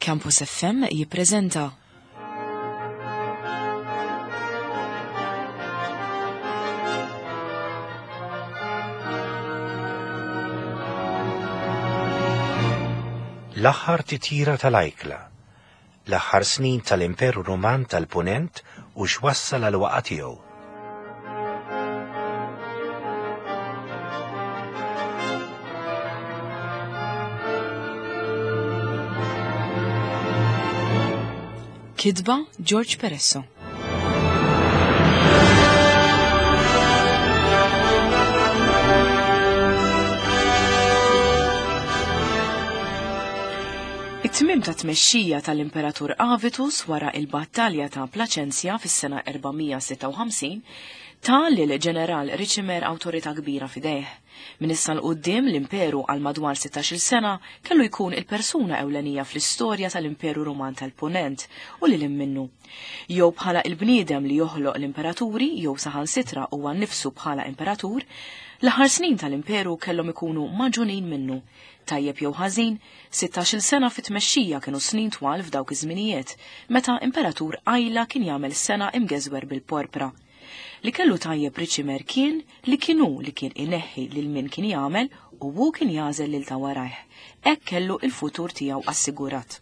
Campus FM jippreżenta L-aħħar titjira tal-ajkla, l-aħħar snin tal-Imperu Ruman tal-Punent u x'wassal għal waqa' tiegħu. Kitba George Peresso. It-tmiem ta' tmexxija tal-Imperatur Avitus wara il-battalja ta' Plaċenzja fis-sena 456 ta lil ġeneral Riċimer awtorità kbira f'idejh. Minn issa 'l quddiem l-imperu għal madwar 16-il sena kellu jkun il-persuna ewlenija fl-istorja tal-Imperu Ruman tal-Punent u lil hinn minnu. Jew bħala il-bniedem li joħloq l-imperaturi jew saħansitra huwa nnifsu bħala imperatur, l-aħħar snin tal-imperu kellhom ikunu magħġunin minnu. Tajjeb jew ħażin, 16-il sena fit-tmexxija kienu snin twal f'dawk iż-żminijiet, meta imperatur qajla kien jagħmel sena imgeżwer bil-porpra. Li kellu tajjeb Riċimer kien li kien hu li kien ineħħi lil min kien jagħmel u hu kien jagħżel lil ta' warajh. Hekk kellu il-futur tiegħu assigurat.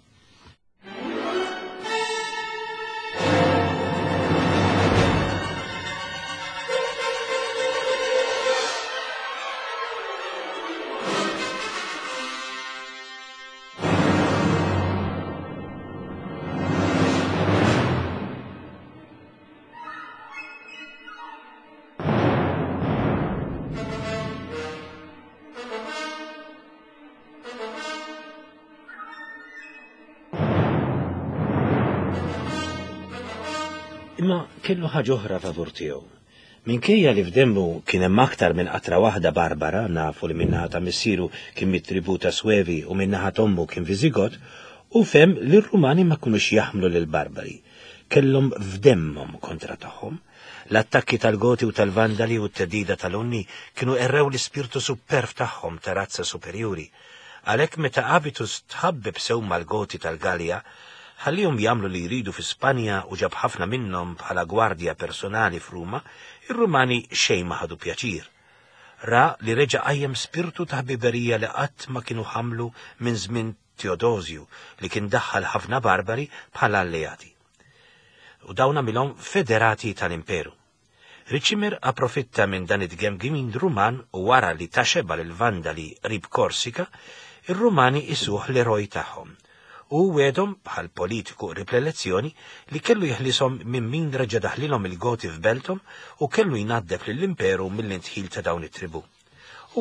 Imma kellu ħaġa oħra favur tiegħu. Minkejja li f'demmu kien hemm aktar minn qatra waħda Barbara, nafu li min-naħa ta' missieru kien mit-tribù ta' Swevi u min-naħa t'ommu kien Viżigot, hu fehem li r-Rumani ma kinux jaħmlu lill-Barbari. Kellhom f'demmhom kontra tagħhom. L-attakki tal-Goti u tal-Vandali u t-theddida tal-Unni kienu qerrew l-ispirtu supperv tagħhom ta' razza superjuri. Għalhekk meta Avitus tħabbeb sew mal-Goti tal-Gallia, ħalliehom jagħmlu li jridu fi Spanja u ġab ħafna minnhom bħala gwardja personali f'Ruma, ir-Rumani xejn ma ħadu pjaċir. Ra li reġa' qajjem spirtu ta' ħbiberija li qatt ma kienu ħamlu minn żmien Teodosju li kien daħħal ħafna Barbari bħala alleati. U dawn għamilhom federati tal-Imperu. Riċimer approfitta minn dan it-tgemgimin Ruman u wara li ta xebgħa lill-Vandali qrib Korsika, ir-Rumani qisuh l-eroj tagħhom. U hu wegħdhom, bħal politiku qrib l-elezzjoni, li kellu jeħlishom minn min reġa' daħlilhom il-Goti f'belthom u kellu jnaddef lill-Imperu mill-indħil ta' dawn it-tribù.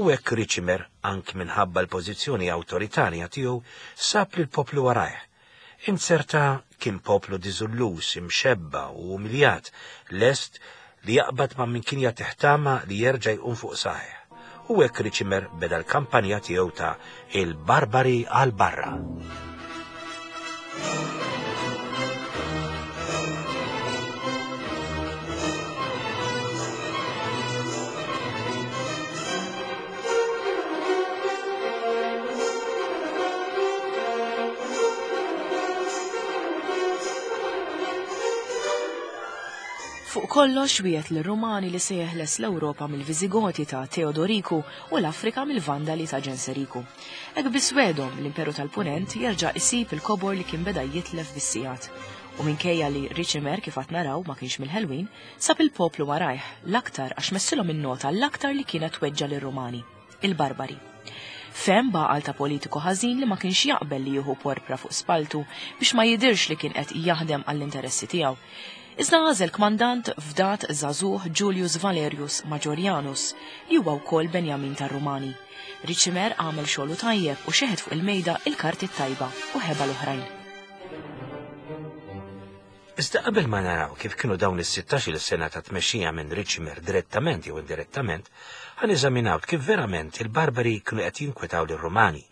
U hekk Riċimer, anki minħabba l-pożizzjoni awtoritarja tiegħu, sab lill-poplu warajh. Inzerta kien poplu diżulluż, imxebba' u umiljat, lest li jaqbad ma' min kien jagħtih tama li jerġa' jqum fuq saqajh. U hekk Riċimer beda l-kampanja tiegħu ta' il-barbari għal barra. Fuq kollox wiegħed lir-Rumani li se jeħles l-Ewropa mill-Viżigoti ta' Teodoriku u l-Afrika mill-Vandali ta' Ġenseriku. Hekk biss wegħdhom, l-Imperu tal-Punent jerġa' isib il-kobor li kien beda jitlef bis-sigħat. U minkejja li Riċimer kif għad naraw ma kienx mill-ħelwin, sab il-poplu warajh, l-aktar għax messilhom in-nota l-aktar li kienet tweġġa' lir-Rumani, il-Barbari. Fehem b'għaqal ta' politiku ħażin li ma kienx jaqbel li jieħu porpra fuq spalltu biex ma jidhirx li kien qed jaħdem għall-interessi tiegħu. Iżda għażel kmandant fdat żagħżugħ Julius Valerius Majorianus, li huwa wkoll Benjamin tar-Rumani. Riċimer għamel xogħlu tajjeb u xeħet fuq il-mejda il-karti t-tajba u ħeba l-oħrajn. Iżda qabel ma naraw kif kienu dawn is-16-il sena ta' tmexxija minn Riċimer direttament jew indirettament, ħa neżaminaw kif verament il-Barbari kienu qed jinkwetaw lir-Rumani.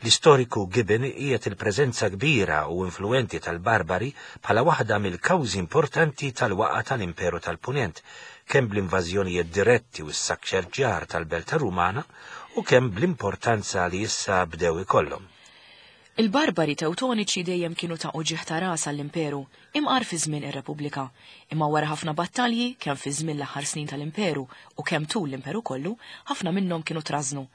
L-istoriku Gibbon qiegħed il-preżenza kbira u influwenti tal-Barbari bħala waħda mill-kawżi importanti tal-waqgħa tal-Imperu tal-Punent, kemm bl-invażjonijiet diretti u s-saċċerġjar tal-belta Rumana u kemm bl-importanza li issa bdew ikollhom. Il-barbari Tewtoniċi dejjem kienu ta' uġigħ ta' ras għall-Imperu, imqar fi żmien ir-Repubblika. Imma wara ħafna battalji, kemm fi żmien l-aħħar snin tal-Imperu u kemm tul l-Imperu kollu, ħafna minnhom kienu trażżnu.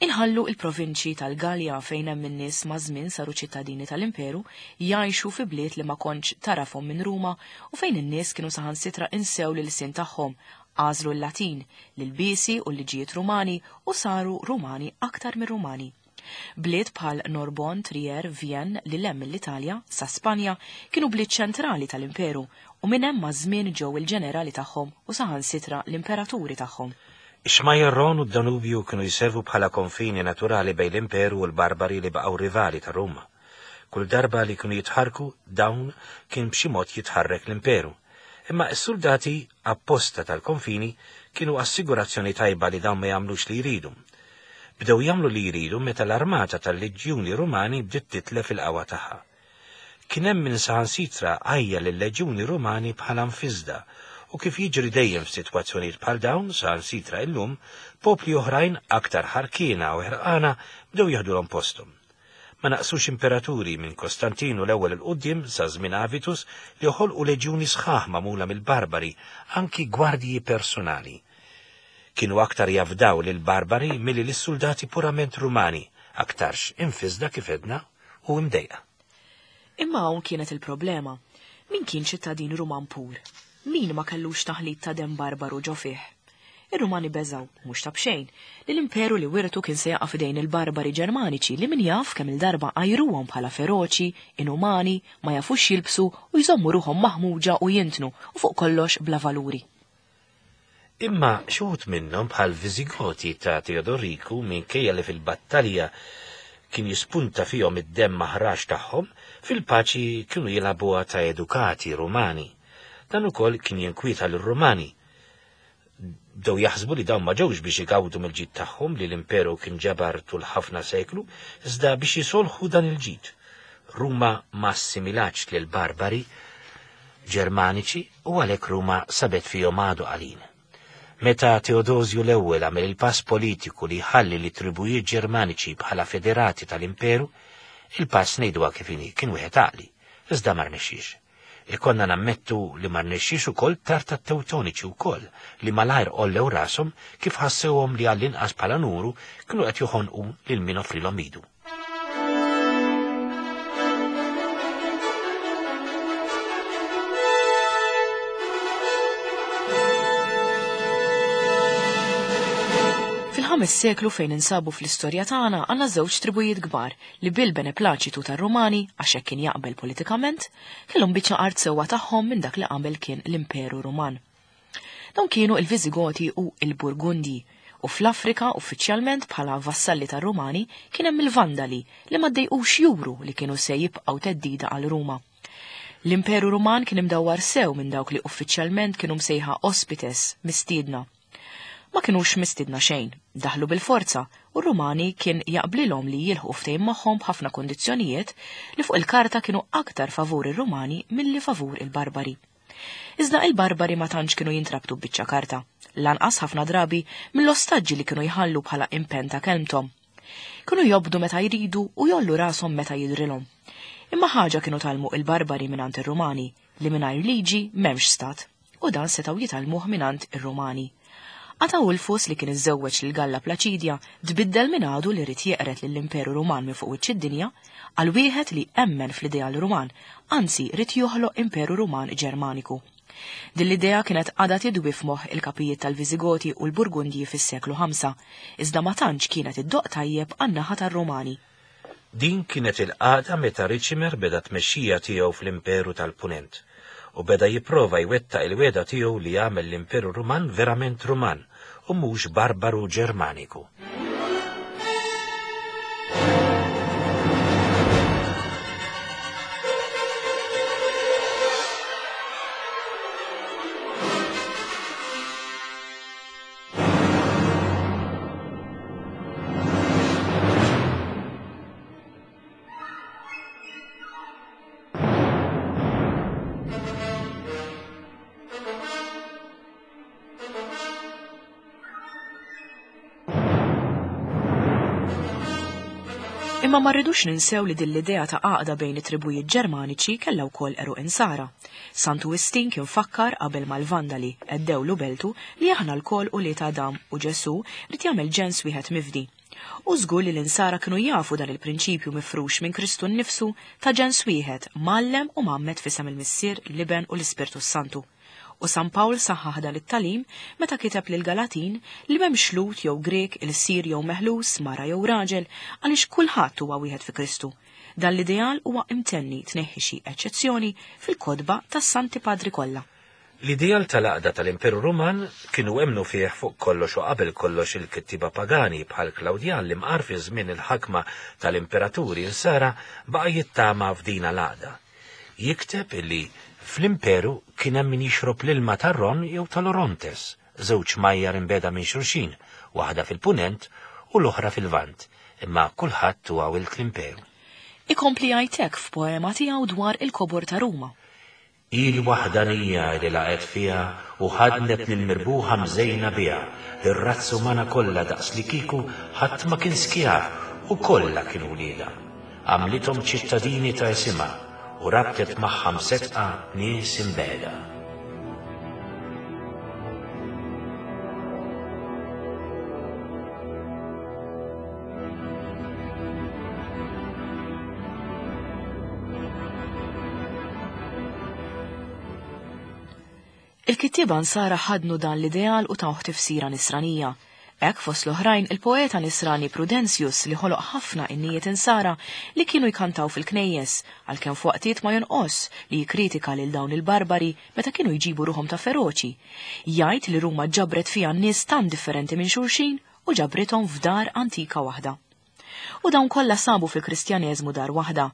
Inħallu il-provinċji tal-Galja fejn hemm in-nies maż-żmien saru ċittadini tal-Imperu, jgħixu fi bliet li ma kontx tagħrafhom minn Ruma u fejn in-nies kienu saħansitra insew l-ilsien tagħhom, għażlu l-Latin, l-ilbiesi u l-liġijiet Rumani u saru Rumani aktar mir-Rumani. Bliet bħal Norbonne, Trier, Vienne, lil hemm mill-Italja, sa Spanja, kienu bliet ċentrali tal-Imperu u minn hemm maż-żmien ġew il-ġenerali tagħhom u saħansitra l-imperaturi tagħhom. Ix-xmajjar Rhône u d-Danubju kienu jservu bħala konfini naturali bejn l-Imperu u l-Barbari li baqgħu rivali ta' Ruma. Kull darba li kienu jitħarrku, dawn kien b'xi mod jitħarrek l-Imperu. Imma s-suldati apposta tal-konfini kienu assigurazzjoni tajba li dawn ma jagħmlux li jridu. Bdew jagħmlu li jridu meta l-armata tal-leġjuni Rumani bdiet titlef il-qawwa tagħha. Kien hemm min saħansitra għajjar lil-leġjuni Rumani bħala mfiżda, u kif jiġri dejjem f'sitwazzjonijiet bħal dawn, saħansitra illum, popli oħrajn aktar ħarkiena u ħerqana bdew jeħdulhom posthom. Ma naqsux imperaturi minn Kostantinu l-Ewwel 'il quddiem sa żmien Avitus li ħolqu leġjuni sħaħ magħmula mill-barbari, anki gwardji personali. Kienu aktar jafdaw lill-barbari milli lis-suldati purament Rumani, aktarx imfissda kif għedna u imdejqa. Imma hawn kienet il-problema. Min kien ċittadin Ruman pur? Min ma kellux taħlit ta' demm barbaru ġo fih? Ir-Rumani beżgħu, mhux ta' b'xejn, li l-imperu li wirtu kien se jaqa' f'idejn il-barbari Ġermaniċi li min jaf kemm-il darba għajruhom bħala feroċi, inumani, ma jafux jilbsu u jżommu ruħhom maħmuġa u jintnu u fuq kollox bla valuri. Imma xi wħud minnhom bħal Viżigoti ta' Teodoriku minkejja li fil-battalja kien jispunta fihom id-demm aħrax tagħhom, fil-paċi kienu jilagħbuha ta' edukati Rumani. Dan ukoll kien jinkwieta lir-Rumani. Bdew jaħsbu li dawn ma ġewx biex igawdu mill-ġid tagħhom li l-imperu kien ġabar tul ħafna seklu, iżda biex jisolħu dan il-ġid. Ruma ma assimilatx lill-barbari Ġermaniċi u għalhekk Ruma sabet fihom għadu qalil. Meta Teodosju l-Ewwel għamel il-pass politiku li jħalli lit-tribujiet Ġermaniċi bħala federati tal-imperu, il-pass ngħiduha kif inhi kien wieħed għaqli, iżda ma rnexxiex. Ikollna nammettu li ma rnexxiex ukoll tard tat-Tewtoniċi wkoll li malajr għollew rashom kif ħassewhom li għall-inqas bħala numru kienu qed joħonqu lil min offrilhom idu. Fil-ħames seklu fejn insabu fl-istorja tagħna għandna żewġ tribujiet kbar li bil-beneplaċitu tar-Rumani, għax hekk kien jaqbel politikament, kellhom biċċa art sewwa tagħhom minn dak li qabel kien l-Imperu Ruman. Dawn kienu il-Viżigoti u l-Burgundji, u fl-Afrika uffiċjalment bħala vassalli tar-Rumani kien hemm il-Vandali li ma ddejqux juru li kienu se jibqgħu theddida għal Ruma. L-Imperu Ruman kien imdawwar sew minn dawk li uffiċjalment kienu msejħa ospites, mistiedna. Ma kinux mistiedna xejn, daħlu bil-forza u r-Rumani kien jaqblilhom li jilħqu ftehim magħhom b'ħafna kundizzjonijiet li fuq il-karta kienu aktar favur ir-Rumani milli favur il-Barbari. Iżda il-Barbari ma tantx kienu jintrabtu b'biċċa karta, lanqas ħafna drabi mill-ostaġġi li kienu jħallu bħala impenn ta' kelmthom. Kienu jobdu meta jridu u jgħollu rashom meta jidhrilhom. Imma ħaġa kienu tgħallmu il-Barbari mingħand ir-Rumani, li mingħajr liġi m'hemmx stat, u dan setgħu jitgħallmuh mingħand ir-Rumani. Ataulfus li kien iżżewweġ lil Galla Plaċidja tbiddel minn għadu li ried jeqred lill-Imperu Ruman minn fuq wiċċ id-dinja għal wieħed li emmen fl-ideal Ruman, anzi ried joħloq Imperu Ruman Ġermaniku. Din l-idea kienet għadha tidwi f'moħħ il-kapijiet tal-Viżigoti u l-Burgundji fis-seklu ħamsa, iżda ma tantx kienet iddoqq tajjeb għan-naħa tar-Rumani. Din kienet il-qagħda meta Ricimer beda t-tmexxija tiegħu fl-Imperu tal-Punent, u beda jipprova jwettaq il-wegħda tiegħu li jagħmel l-Imperu Ruman verament Ruman u mhux barbaru Ġermaniku. Imma ma rridux ninsew li din l-idea ta' għaqda bejn it-tribujiet Ġermaniċi kellha wkoll għeruq Insara. Santu Wistin kien fakkar qabel ma l-Vandali għeddewlu beltu li aħna lkoll ulied Adam u Ġesù ried jagħmel ġens wieħed mifdi. U żgur li l-Insara kienu jafu dan il-prinċipju mifrux minn Kristu nnifsu ta' ġens wieħed mgħallem u mgħammed f'isem il-Missier, l-Iben u l-Ispirtu s-Santu. U San Pawl saħħaħ dan it-tagħlim meta kiteb lill-Galatin li m'hemmx Lhud jew Grieg, ilsir jew meħlus, mara jew raġel, għaliex kulħadd huwa wieħed fi Kristu. Dan l-ideal huwa imtenni, tneħħi xi eċċezzjoni, fil-kotba tas-Santi Padri kollha. L-ideal tal-għaqda tal-Imperu Ruman kienu emmnu fih fuq kollox u qabel kollox il-kittieba pagani bħal Klawdjan li mqar fi żmien il-ħakma tal-imperaturi Insara baqa' jittama f'dina l-għaqda. Jikteb illi fl-imperu kien hemm min jixrob l-ilma tar-Ron jew tal-Orontes, żewġ xmajjar imbiegħda minn xulxin, waħda fil-Punent u l-oħra fil-Lvant, imma kulħadd huwa wild l-imperu. Ikompli jgħid hekk f'poema tiegħu dwar il-kobor ta' Ruma. Hi l-waħdanija li laqgħet fiha u ħaddnet lill-mirbuħa mżejna biha, lir-razza umana kollha daqslikieku ħadd ma kien skjav u kollha kienu wliedha. Għamlithom ċittadini ta' isimha u rabtet magħha mseddqa nies imbiegħda. Il-kittieba Nsara ħaddnu dan l-ideal u tawh tifsira Nisranija. Hekk fost l-oħrajn il-poeta Nisrani Prudentius li ħoloq ħafna innijiet Insara li kienu jkantaw fil-knejjes, għalkemm f'waqtiet ma jonqosx li jikkritika lil dawn il-barbari meta kienu jġibu ruħhom ta' feroċi. Jgħid li Ruma ġabret fiha nies tant differenti minn xulxin u ġabrithom f'dar antika waħda. U dawn kollha sabu fil-Kristjaneżmu dar waħda.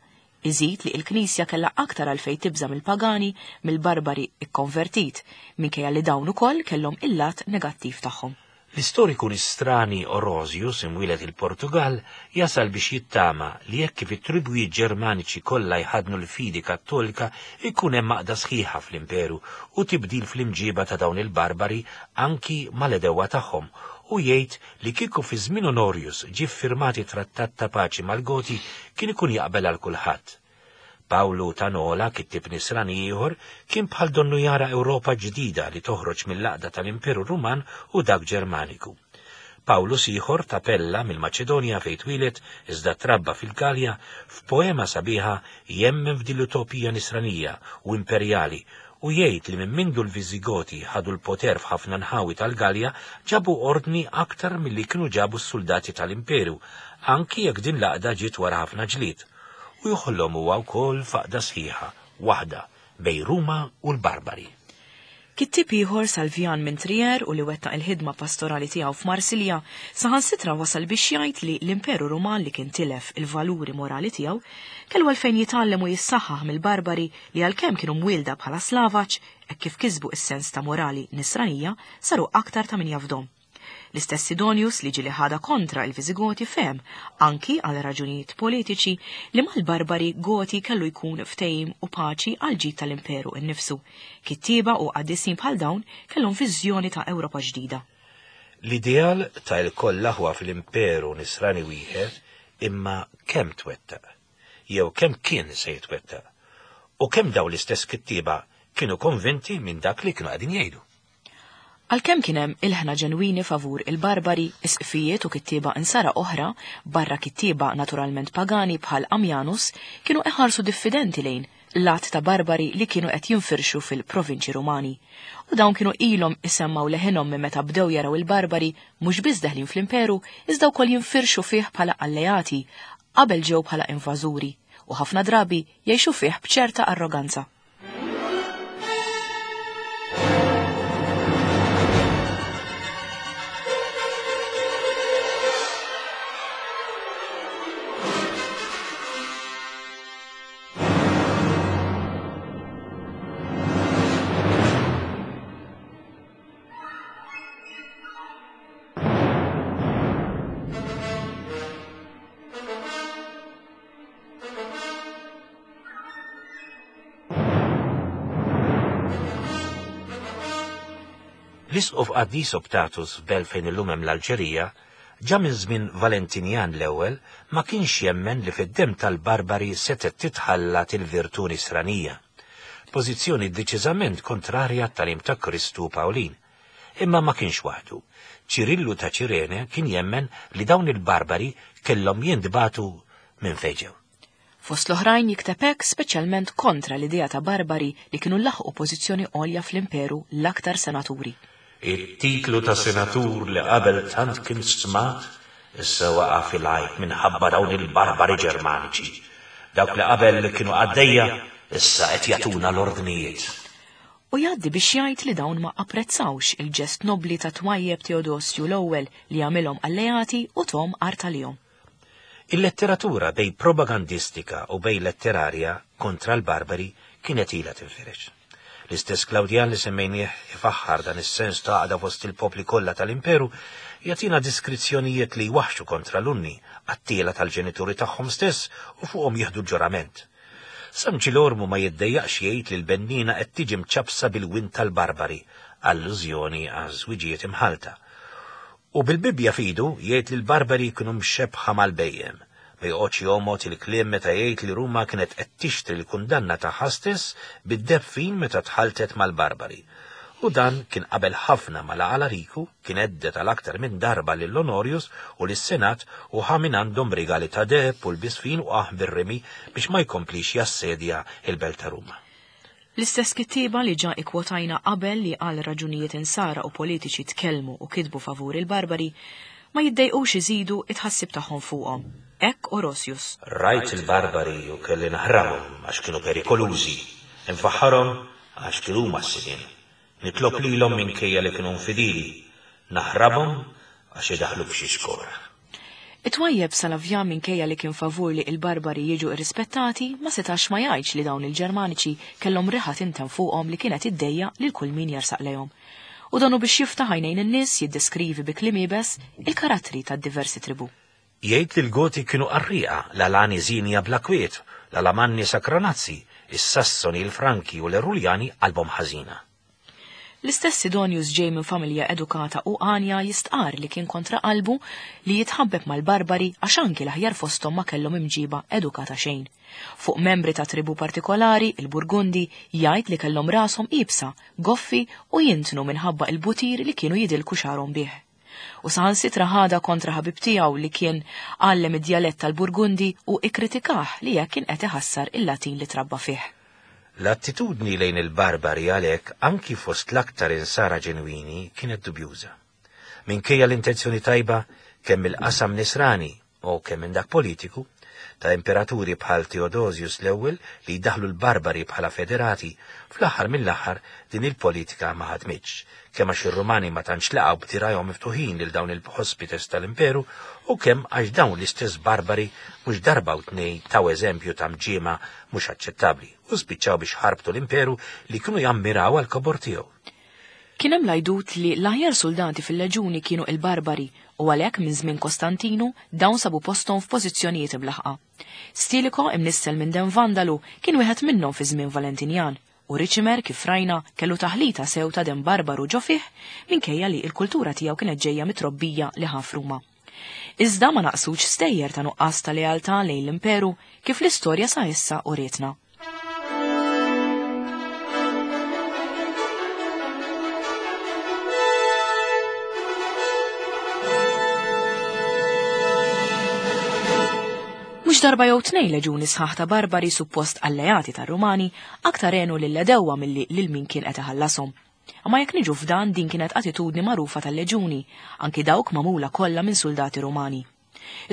Iżid li il-Knisja kellha aktar għalfejn tibża' mill-pagani mill-barbari ikkonvertit, minkejja li dawn ukoll kellhom il-lat negattiv tagħhom. L-istoriku Nistrani Orosius, imwieled il-Portugall, jasal biex jittama li hekk kif it-tribwijiet Ġermaniċi kollha jħaddnu l-fidi Kattolika jkun hemm għaqda sħiħa fl-imperu u tibdil fl-imġieba ta' dawn il-barbari anki mal-għedewwa tagħhom u jgħid li kieku fi żmien Honorius ġie ffirmat it-trattat ta' paċi mal-Goti kien ikun jaqbel għal kulħadd. Pawlu ta' Nola, kittieb Nisrani ieħor, kien bħal donnu jara Ewropa ġdida li toħroġ mill-għaqda tal-Imperu Ruman u dak Ġermaniku. Pawlus ieħor ta' Pella mill-Maċedonja fejn twieled iżda trabba fil-Galja, f'poema sabiħa jemmen f'din l-utopija Nisranija u imperjali u jgħid li minn mindu l-Viżigoti ħadu l-poter f'ħafna nħawi tal-Galja ġabu ordni aktar milli kienu ġabu s-suldati tal-Imperu, anki jekk din l-għaqda ġiet wara ħafna ġlied. U joħlom huwa wkoll f'għaqda sħiħa, waħda, bejn Ruma u l-Barbari. Kittieb ieħor, Salvian minn Trier u li wettaq il-ħidma pastorali tiegħu f'Marsilja, saħansitra wasal biex jgħid li l-Imperu Ruman li kien tilef il-valuri morali tiegħu, kellu għalfejn jitgħallem u jissaħħaħ mill-Barbari li għalkemm kienu mwielda bħala slavaġ, hekk kif kisbu s-sens ta' morali Nisranija, saru aktar ta' min jafdhom. L-istess Sidonius li ġieli ħadha kontra il-Viżigoti fehem, anki għal raġunijiet politiċi, li mal-barbari Goti kellu jkun ftehim u paċi għall-ġid tal-Imperu innifsu. Kittieba u qaddisin bħal dawn kellhom viżjoni ta' Ewropa ġdida. L-ideal ta' ilkoll aħwa fl-Imperu Nisrani wieħed imma kemm twettaq? Jew kemm kien se jitwettaq? U kemm dawn l-istess kittieba kienu konvinti minn dak li kienu qegħdin jgħidu? Għalkemm kien hemm ilħna ġenwini favur il-barbari, isqfijiet u kittieba Insara oħra, barra kittieba naturalment pagani bħal Ammianus, kienu iħarsu diffidenti lejn l-għadd ta' barbari li kienu qed jinfirxu fil-provinċji Rumani. U dawn kienu ilhom isemmgħu leħinhom minn meta bdew jaraw il-barbari mhux biss deħlin fl-imperu iżda wkoll jinfirxu fih bħala alleati qabel ġew bħala invażuri u ħafna drabi jgħixu fih b'ċerta arroganza. L-Isqof Qaddis Optatus f'belt fejn illum hemm l-Alġerija, Ġa minn żmien Valentinjan l-ewwel ma kienx jemmen li fid-demm tal-barbari setgħet titħallat il-virtù nisranija. Pożizzjoni deċiżament kontrarja għat-tagħlim ta' Kristu u Pawlin. Imma ma kienx waħdu. Ċirillu ta' Ċirene kien jemmen li dawn il-barbari kellhom jintbagħtu minn fejn ġew. Fost l-oħrajn jikteb hekk speċjalment kontra l-idea ta' barbari li kienu laħqu pożizzjoni għolja fl-imperu l-aktar senaturi. It-titlu ta' senatur li qabel tant kien stmat, issa waqa' fil-għajb minħabba dawn il-barbari Ġermaniċi. Dawk li qabel kienu qaddejja, issa qed jagħtuna l-ordnijiet. U jgħaddi biex jgħid li dawn ma apprezzawx il-ġest nobbli ta' twajjeb Teodosju l-ewwel li għamilhom alleati u thom art għalihom. Il-letteratura bejn propagandistika u bejn letterarja kontra l-barbari kienet ilha tinfirex. L-istess Klawdjan li semmejnieh ifaħħar dan is-sens ta' għaqda fost il-popli kollha tal-imperu jagħtina diskrizzjonijiet li jwaħħxu kontra l-Unni, qattiela tal-ġenituri tagħhom stess u fuqhom jieħdu ġurament. San Ġilormu ma jiddejjaqx jgħid li l-benniena qed tiġi mċappsa bil-wind tal-barbari, allużjoni għaż-żwiġijiet imħallta. U bil-Bibbja f'idu jgħid li l-barbari kienu mxebbħa mal-bhejjem. Ma joqgħodx jomgħod il-kliem meta jgħid li Ruma kienet qed tixtri l-kundanna tagħha stess bid-deheb fin meta tħalltet mal-barbari. U dan kien qabel ħafna ma la Alariku kien hedded għal aktar minn darba lil Honorius u lis-Senat u ħa mingħandhom rigali ta' deheb u lbies fin u qah bir-rimi biex ma jkomplix jassedja l-belt ta' Ruma. L-istess kittieba li ġa ikkwotajna qabel li għal raġunijiet insara u politiċi tkellmu u kitbu favur il-barbari, ma jiddejqux iżidu t-tħassib tagħhom fuqhom. Hekk Orosius. Rajt il-barbari u kelli naħrabhom għax kienu perikolużi, infaħħarhom għax kienu huma s-sidien. Nitlob lilhom minkejja li kienu infidili, naħrabhom għax idaħħlu f'xi xkora. It-twajjeb Salavja minkejja li kien favur li il-barbari jiġu irrispettati ma setax ma jgħidx li dawn il-Ġermaniċi kellhom riħa tinten fuqhom li kienet iddejjaq lil kull min jersaq lejhom. U donu biex jiftaħ għajnejn in-nies jiddeskrivi bi kliem iebes il-karattri tad-diversi tribù. Jgħid li l-Goti kienu qarrieqa, l-Alani żienja bla kwiet, l-Alamanni sakranazzi, is-Sassoni, il-Franki u l-Eruljani qalbhom ħażina. L-istess Sidonius ġej minn familja edukata u għanja jistqarr li kien kontra qalbu li jitħabbeb mal-barbari għax anki l-aħjar fosthom ma kellhom imġiba edukata xejn. Fuq membri ta' tribù partikolari, il-Burgundi, jgħid li kellhom rashom iebsa, goffi u jintnu minħabba il-butir li kienu jidilku xagħarhom bih. U saħansitra ħadha kontra ħabib tiegħu li kien għallem id-djalett tal-Burgundi u ikkritikah li hekk kien qed iħassar il-Latin li trabba fih. L-attitudni lejn il-barbari għalhekk anki fost l-aktar insara ġenwini kienet dubjuża. Minkejja l-intenzjoni tajba kemm mill-qasam nisrani u kemm minn dak politiku, ta' imperaturi bħal Theodosius l-ewwel li jdaħħlu l-barbari bħala federati, fl-aħħar mill-aħħar din il-politika ma ħadmitx, kemm għax ir-Rumani ma tantx laqgħu b'dirgħajhom miftuħin lil dawn il-hospites tal-imperu u kemm għax dawn l-istess barbari mhux darba u tnejn taw eżempju ta' mġiema mhux aċċettabbli u spiċċaw biex ħarbtu l-imperu li kienu jammiraw għall-kobor tiegħu. Kien hemm l-għajdut li l-aħjar suldati fil-leġuni kienu il-barbari u għalhekk minn żmien Kostantinu dawn sabu posthom f'pożizzjonijiet imlaħħqa. Stilicho imnissel minn demm Vandalu kien wieħed minnhom fi żmien Valentinjan u Ricimer kif rajna kellu taħlita sew ta' demm barbaru ġo fih minkejja li l-kultura tiegħu kienet ġejja mit-trobbija li ħa f'Ruma. Iżda ma naqsux stejjer ta' nuqqas ta' lealtà lejn l-imperu kif l-istorja sa issa urietna. Mhux darba jew tnejn leġuni sħaħ ta' barbari suppost alleati tar-Rumani aktar għenu lill-għedewwa milli lil min kien qed iħallashom. Imma jekk niġu f'dan din kienet attitudni magħrufa tal-leġuni, anki dawk magħmula kollha minn suldati Rumani.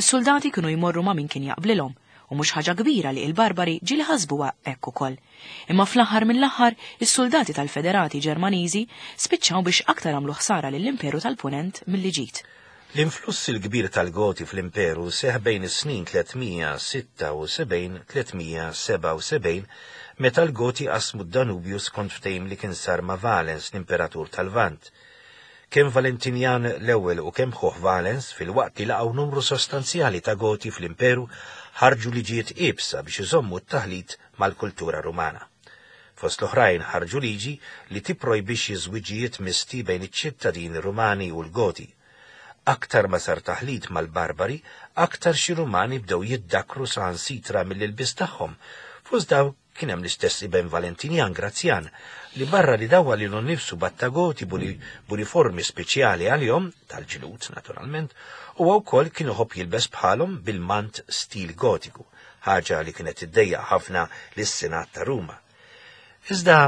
Is-suldati kienu jmorru ma' min kien jaqblilhom, u mhux ħaġa kbira li il-barbari ġieli ħasbuha hekk ukoll. Imma fl-aħħar mill-aħħar, is-suldati tal-Federati Ġermaniżi spiċċaw biex aktar għamlu ħsara lill-Imperu tal-Punent milli ġid. L-influss il-kbir tal-Goti fl-Imperu seħħ bejn is-snin 376 377 meta l-Goti qasmu d-Danubju skont ftehim li kien sar ma' Valens l-Imperatur tal-Lvant. Kemm Valentinjan l-Ewwel u kemm ħuh Valens, filwaqt li laqgħu numru sostanzjali ta' Goti fl-Imperu, ħarġu liġijiet iebsa biex iżommu t-taħlit mal-kultura Rumana. Fost l-oħrajn ħarġu liġi li tipprojbixxi żwiġijiet misti bejn iċ-ċittadini Rumani u l-Goti. Aktar ma sar taħlit mal-barbari, aktar xi Rumani bdew jiddakru saħansitra mill-ilbies tagħhom. Fost dawk kien hemm l-istess iben Valentinian Grazzjan, li barra li dawwar lilu nnifsu b'attagoti b'uniformi speċjali għalihom, tal-ġlud naturalment, huwa wkoll kien iħobb jilbes bħalhom bil-mant stil Gotiku, ħaġa li kienet iddejjaq ħafna lis-Senat ta' Ruma. Iżda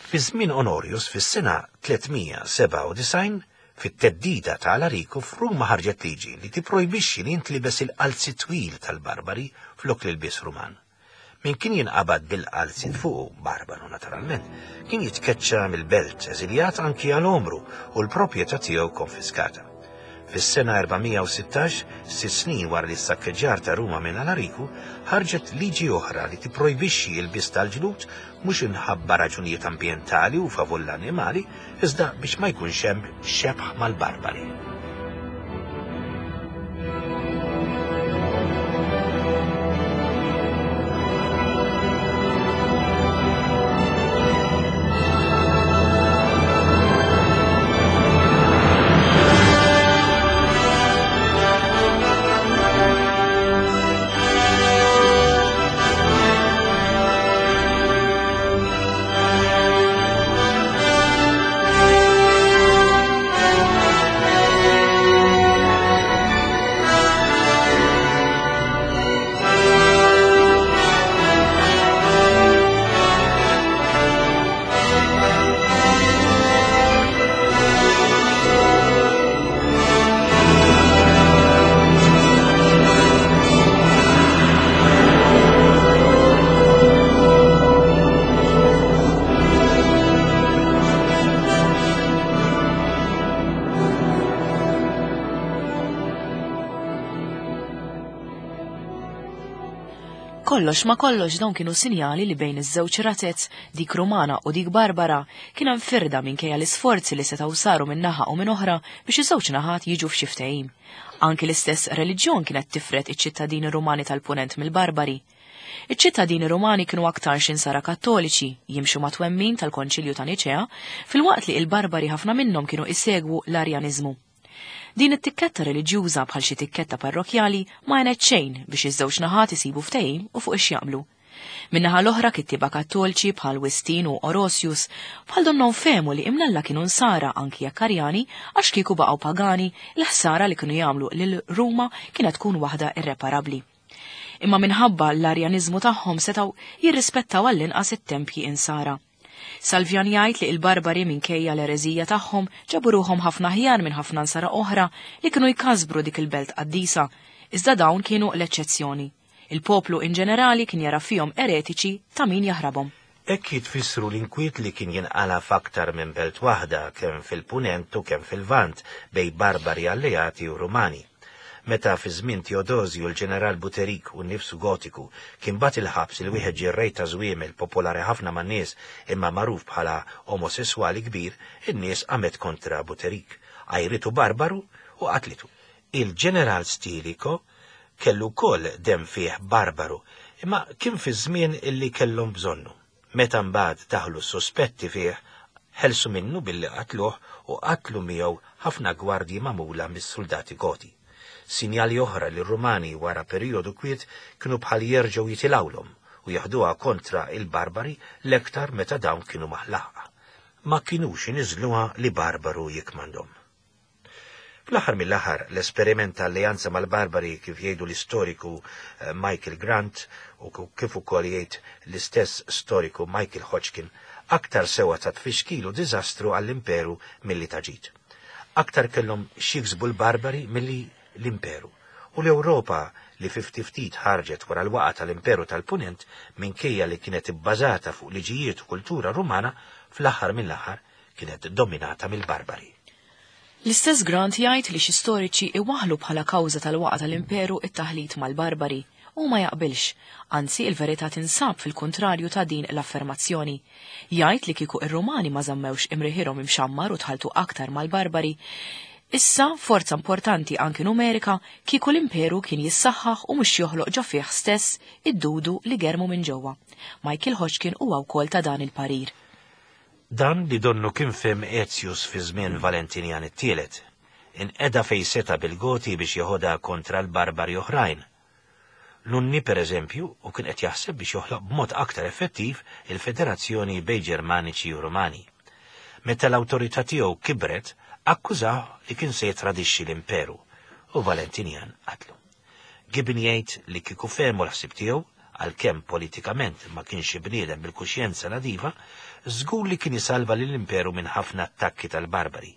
fi żmien Onorius fis-sena 397, fit-theddida ta' Alariku f'Ruma ħarġet liġi li tipprojbixxi li jintlibes il-qalzi twil tal-barbari flok l-ilbies Ruman. Min kien jinqabad bil-qalziet fuqu, barbaru naturalment, kien jitkeċċa mill-belt, eżiljat anki għal għomru u l-proprjetà tiegħu konfiskata. Fis-sena 416, sitt snin wara li s-sakkeġġar ta' Ruma minn Alariku, ħarġet liġi oħra li tipprojbixxi l-lbies tal-ġlud mhux imħabba raġunijiet ambjentali u favur l-annimali, iżda biex ma jkunx hemm xebh mal-barbari. Kollox ma kollox dawn kienu sinjali li bejn iż-żewġ razez, dik Rumana u dik Barbara, kien hemm firda minkejja l-isforzi li setgħu saru minn naħa u minn oħra biex iż-żewġ naħat jiġu f'xi ftehim. Anki l-istess reliġjon kienet tifred iċ-ċittadini Rumani tal-Punent mill-Barbari. Iċ-ċittadini Rumani kienu aktarx insara Kattoliċi, jimxu mat-twemmin tal-Konċilju ta' Niċea, filwaqt li il-Barbari ħafna minnhom kienu isegwu l-Arjaniżmu. Din it-tikketta reliġjuża bħal xi tikketta parrokkjali ma għenet xejn biex iż-żewġ naħat isibu ftehim u fuq ix jaqblu. Min-naħa l-oħra kittieba Kattolċi bħal Wistin u Orosius bħal donnhom fehmu li imnalla kienu nsara anki jekk Arjani għax kieku baqgħu pagani l-ħsara li kienu jagħmlu lil Ruma kienet tkun waħda irreparabbli. Imma minħabba l-Arjaniżmu tagħhom setgħu jirrispettaw għall-inqas it-tempji insara. Salvjan jgħid li l-Barbari minkejja l-ereżija tagħhom ġabu ruħhom ħafna aħjar minn ħafna nsara oħra li kienu jkasbru dik il-belt qaddisa, iżda dawn kienu l-eċċezzjoni. Il-poplu in ġenerali kien jara fihom eretiċi ta' min jaħrabhom. Hekk jitfissru l-inkwiet li kien jinqala' f'aktar minn belt waħda, kemm fil-Punent u kemm fil-Lvant, bejn Barbari alleati u Rumani. Meta fi żmien Teodosju l-ġeneral Buterik u nnifsu Gotiku kien bagħat il-ħabs lil wieħed ġerrej ta' żwiemel popolari ħafna man-nies imma magħruf bħala omosesswali kbir, in-nies qamet kontra Buterik, għajritu barbaru u qatlitu. Il-ġeneral Stilicho kellu wkoll demm fih barbaru, imma kien fi żmien illi kellhom bżonnu. Meta mbagħad daħlu s-suspetti fih, ħelsu minnu billi qatluh u qatlu miegħu ħafna gwardji magħmula mis-suldati Goti. Sinjali oħra li r-Rumani wara perijodu kwiet kienu bħal jerġgħu jitilgħulhom u jeħduha kontra il-Barbari l-aktar meta dawn kienu maħlaqa. Ma kinux iniżżluha li barbaru jikkmandhom. Fl-aħħar mill-aħħar, l-esperiment ta' alleanza mal-Barbari kif jgħidu l-istoriku eh, Michael Grant u kif ukoll jgħid l-istess storiku Michael Hodgkin, aktar sewa ta' tfixkil u diżastru għall-imperu milli ta' ġid. Aktar kellhom x'jiksbu l-Barbari milli l-imperu. U l-Ewropa li fi ftit ftit ħarġet wara l-waqa tal-Imperu tal-Punent minkejja li kienet ibbażata fuq liġijiet u kultura Rumana, fl-aħħar mill-aħħar kienet dominata mill-Barbari. L-istess Grant jgħid li xi storiċi iwaħħlu bħala kawża tal-waqgħa tal-Imperu t-taħlit mal-Barbari. Hu ma jaqbilx. Anzi, il-verità tinsab fil-kuntrarju ta' din l-affermazzjoni. Jgħid li kieku r-Rumani ma żammewx imriħirhom imxammar u tħalltu aktar mal-Barbari, issa, forza importanti anki numerika, kieku l-Imperu kien jissaħħaħ u mhux joħloq ġo fih stess id-dudu li germu minn ġewwa. Michael Hodgkin huwa wkoll ta' dan il-parir. Dan li donnu kien fehem Aetius fi żmien Valentinjan it-Tielet. Inqeda fejn seta' bil-Goti biex jeħodha kontra l-barbari oħrajn. L-Unni, per eżempju, u kien qed jaħseb biex joħloq b'mod aktar effettiv il-federazzjoni bejn Ġermaniċi u Rumani. Meta l-awtorità tiegħu kibret, akkużah li kien se jittradixxi l-imperu, u Valentinian qatlu. Gibbon jgħid li kieku fehmu l-ħsieb tiegħu, għalkemm politikament ma kienx xi bniedem bil-kuxjenza nadifa, żgur li kien isalva lill-imperu minn ħafna attakki tal-barbari.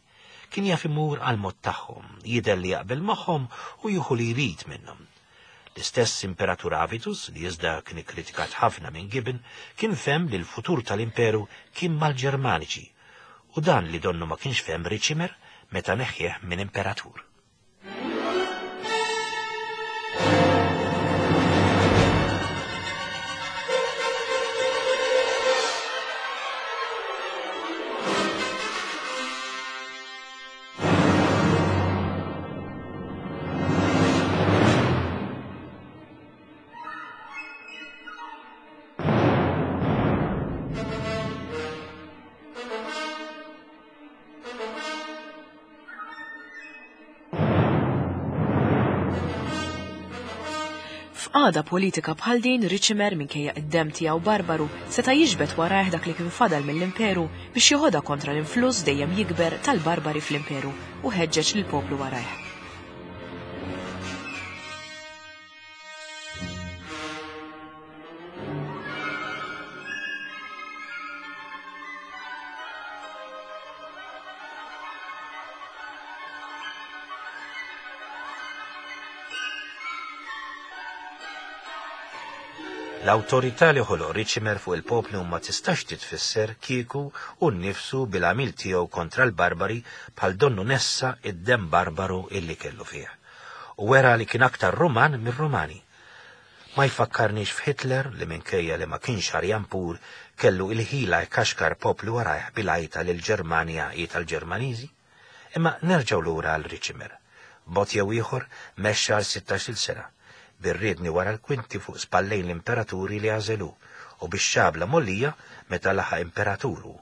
Kien jaf imur għall-mod tagħhom, jidher li jaqbel magħhom u jieħu li jrid minnhom. L-istess Imperatur Avitus, li iżda kien ikkritikat ħafna minn Gibbon, kien fehem li l-futur tal-imperu kien mal-Ġermaniċi, u dan li donnu ma kienx fehem Ricimer meta neħħieh minn imperatur. F'qagħda politika bħal din, Ricimer minkejja id-demm tiegħu barbaru seta' jiġbed warajh dak li kien fadal mill-imperu biex joħodha kontra l-influss dejjem jikber tal-barbari fl-imperu u ħeġġeġ lill-poplu warajh. L-awtorità li ħoloq Ricimer fuq il-poplu ma tistax titfisser kieku hu nnifsu bil-għamil tiegħu kontra l-barbari bħal donnu nessa id-demm barbaru illi kellu fih. U wera li kien aktar Ruman mir-Rumani. Ma jfakkarnix f'Hitler li minkejja li ma kienx Arjan pur kellu il-ħila jkaxkar poplu warajh bil-għajta li l-Ġermanja hi tal-Ġermaniżi? Imma nerġgħu lura għal Ricimer. B'mod jew ieħor mexxa għal sittax-il sena, bir-riedni wara l-kwinti fuq spallejn l-imperaturi li għażel hu, u bix-xabla mgħollija meta laħaq imperatur hu.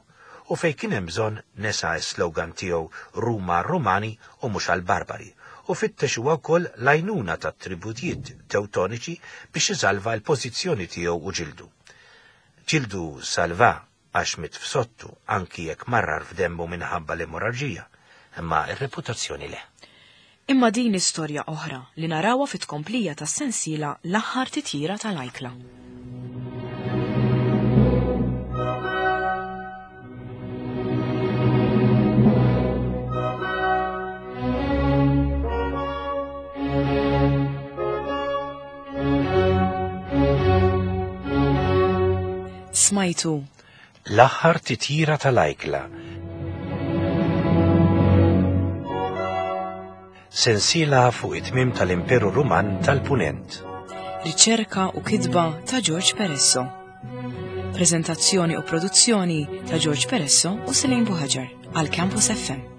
U fejn kien hemm bżonn nesa s-slogan tiegħu Ruma għar-Rumani u mhux għall-barbari, u fittex huwa wkoll l-għajnuna tat-tributjiet Tewtoniċi biex isalva l-pożizzjoni tiegħu u ġildu. Ġildu salva għax miet f'sodtu anki jekk marrar f'demmu minħabba l-emorraġija, imma r-reputazzjoni le. Imma din hi storja oħra li narawha fit-tkomplija tas-sensiela L-Aħħar Titjira tal-Ajkla. Smajtu. L-aħħar titjira tal-ajkla. Sensiela fuq it-tmiem tal-Imperu Ruman tal-Punent. Riċerka u kitba ta' George Peresso. Prezentazzjoni u produzzjoni ta' George Peresso u Selin Buħaġar għal Campus FM.